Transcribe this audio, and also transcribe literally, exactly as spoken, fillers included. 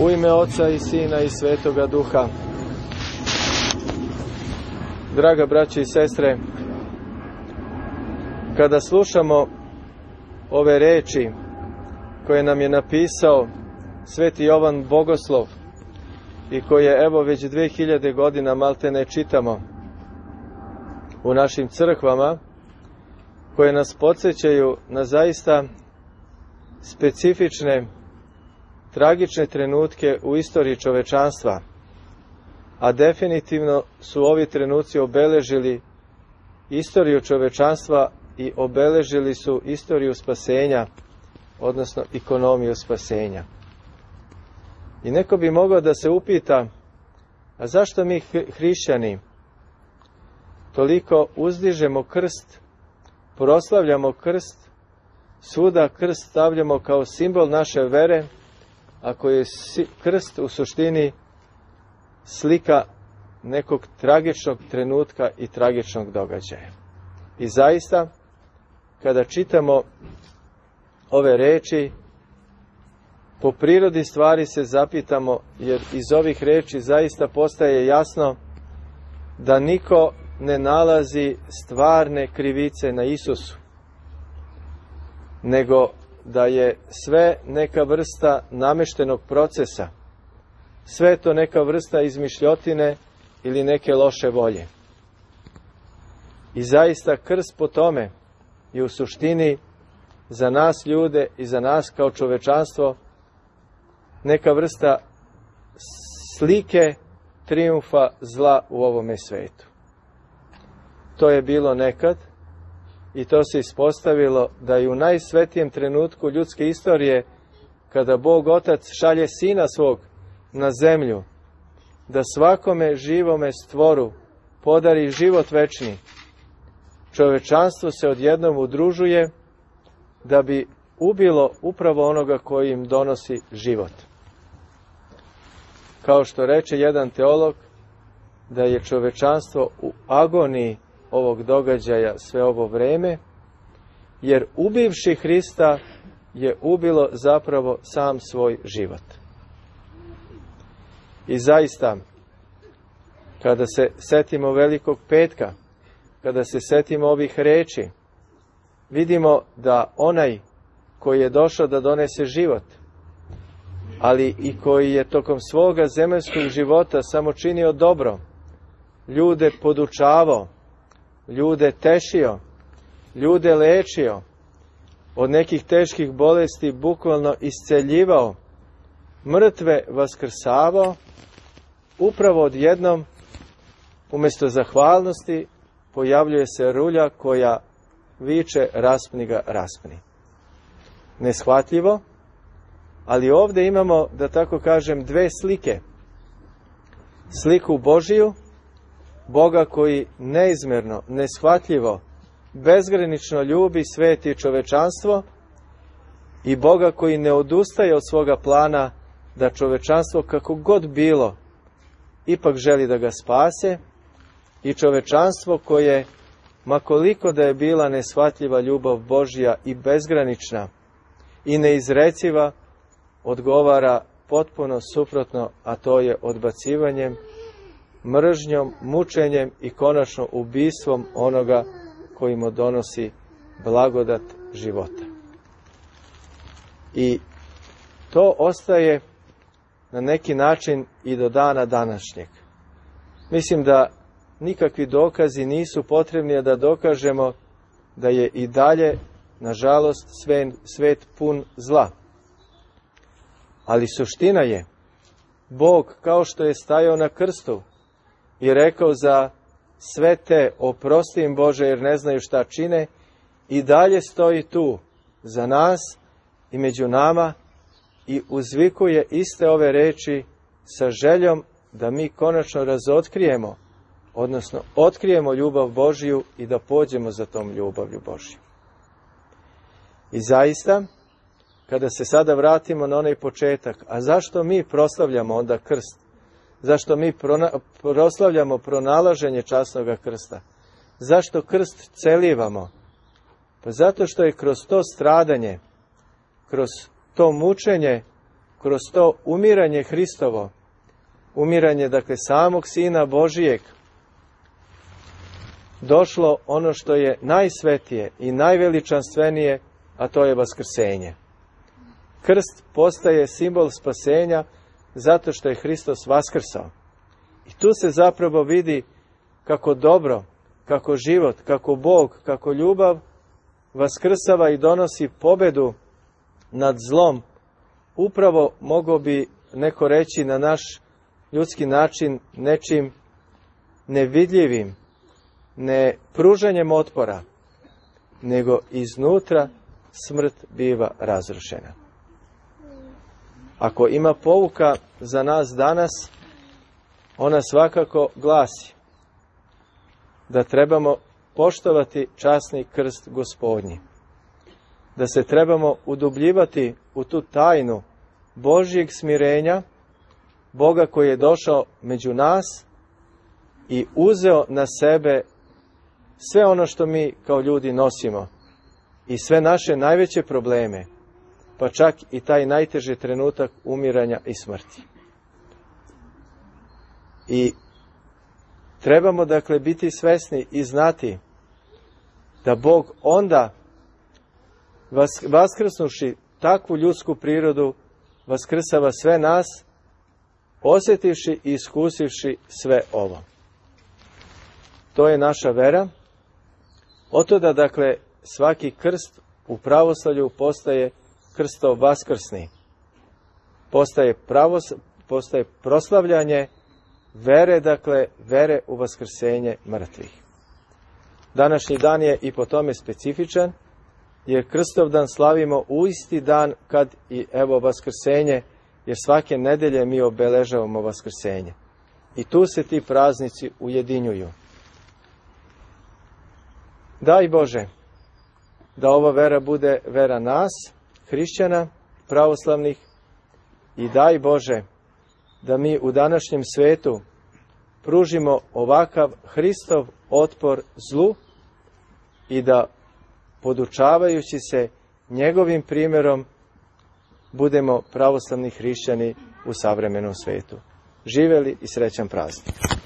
U ime Oca i Sina i Svetoga Duha. Draga braće i sestre, kada slušamo ove reči koje nam je napisao Sveti Jovan Bogoslov i koje evo već dve hiljade godina malte ne čitamo u našim crkvama, koje nas podsjećaju na zaista specifične, tragične trenutke u istoriji čovečanstva, a definitivno su ovi trenuci obeležili istoriju čovečanstva i obeležili su istoriju spasenja, odnosno ekonomiju spasenja. I neko bi mogao da se upita, a zašto mi hrišćani toliko uzdižemo krst, proslavljamo krst, svuda krst stavljamo kao simbol naše vere, ako je krst u suštini slika nekog tragičnog trenutka i tragičnog događaja. I zaista, kada čitamo ove reči, po prirodi stvari se zapitamo, jer iz ovih reči zaista postaje jasno da niko ne nalazi stvarne krivice na Isusu, nego da je sve neka vrsta nameštenog procesa, sve to neka vrsta izmišljotine ili neke loše volje. I zaista krst po tome je u suštini za nas ljude i za nas kao čovečanstvo neka vrsta slike trijumfa zla u ovome svetu. To je bilo nekad i to se ispostavilo da i u najsvetijem trenutku ljudske istorije, kada Bog Otac šalje Sina svog na zemlju, da svakome živome stvoru podari život večni, čovečanstvo se odjednom udružuje da bi ubilo upravo onoga koji im donosi život. Kao što reče jedan teolog, da je čovečanstvo u agoniji ovog događaja sve ovo vreme, jer ubivši Hrista je ubilo zapravo sam svoj život. I zaista, kada se setimo Velikog petka, kada se setimo ovih reči, vidimo da onaj koji je došao da donese život, ali i koji je tokom svoga zemaljskog života samo činio dobro, ljude podučavao, ljude tešio, ljude lečio, od nekih teških bolesti bukvalno isceljivao, mrtve vaskrsavao, upravo odjednom, umjesto zahvalnosti, pojavljuje se rulja koja viče raspni ga, raspni. Neshvatljivo, ali ovdje imamo, da tako kažem, dve slike. Sliku Božiju, Boga koji neizmjerno, neshvatljivo, bezgranično ljubi svet i čovečanstvo, i Boga koji ne odustaje od svoga plana da čovečanstvo kako god bilo ipak želi da ga spase, i čovečanstvo koje, makoliko da je bila neshvatljiva ljubav Božja i bezgranična i neizreciva, odgovara potpuno suprotno, a to je odbacivanjem, mržnjom, mučenjem i konačno ubistvom onoga koji mu donosi blagodat života. I to ostaje na neki način i do dana današnjeg. Mislim da nikakvi dokazi nisu potrebni da dokažemo da je i dalje, nažalost, svet pun zla. Ali suština je, Bog, kao što je stajao na krstu i rekao za sve te, oprosti im Bože jer ne znaju šta čine, i dalje stoji tu za nas i među nama i uzvikuje iste ove reči sa željom da mi konačno razotkrijemo, odnosno otkrijemo ljubav Božju i da pođemo za tom ljubavlju Božju. I zaista, kada se sada vratimo na onaj početak, a zašto mi proslavljamo onda krst? Zašto mi prona, proslavljamo pronalaženje časnog krsta? Zašto krst celivamo? Pa zato što je kroz to stradanje, kroz to mučenje kroz to umiranje Hristovo, umiranje, dakle, samog Sina Božijeg, došlo ono što je najsvetije i najveličanstvenije, a to je vaskrsenje. Krst postaje simbol spasenja zato što je Hristos vaskrsao. I tu se zapravo vidi kako dobro, kako život, kako Bog, kako ljubav vaskrsava i donosi pobedu nad zlom. Upravo mogao bi neko reći na naš ljudski način nečim nevidljivim, ne pružanjem otpora, nego iznutra smrt biva razrušena. Ako ima pouka za nas danas, ona svakako glasi da trebamo poštovati časni krst Gospodnji, da se trebamo udubljivati u tu tajnu Božjeg smirenja, Boga koji je došao među nas i uzeo na sebe sve ono što mi kao ljudi nosimo i sve naše najveće probleme, pa čak i taj najteži trenutak umiranja i smrti. I trebamo, dakle, biti svesni i znati da Bog onda, vaskrsnuši takvu ljudsku prirodu, vaskrsava sve nas, osjetivši i iskusivši sve ovo. To je naša vera. Otuda, dakle, svaki krst u pravoslavlju postaje krstov vaskrsni. Postaje, pravos, postaje proslavljanje vere, dakle, vere u vaskrsenje mrtvih. Današnji dan je i po tome specifičan, jer Krstovdan slavimo u isti dan kad i evo vaskrsenje, jer svake nedelje mi obeležavamo vaskrsenje. I tu se ti praznici ujedinjuju. Daj Bože da ova vera bude vera nas, hrišćana, pravoslavnih, i daj Bože da mi u današnjem svetu pružimo ovakav Hristov otpor zlu i da, podučavajući se njegovim primjerom, budemo pravoslavni hrišćani u savremenom svetu. Živeli i srećan praznik!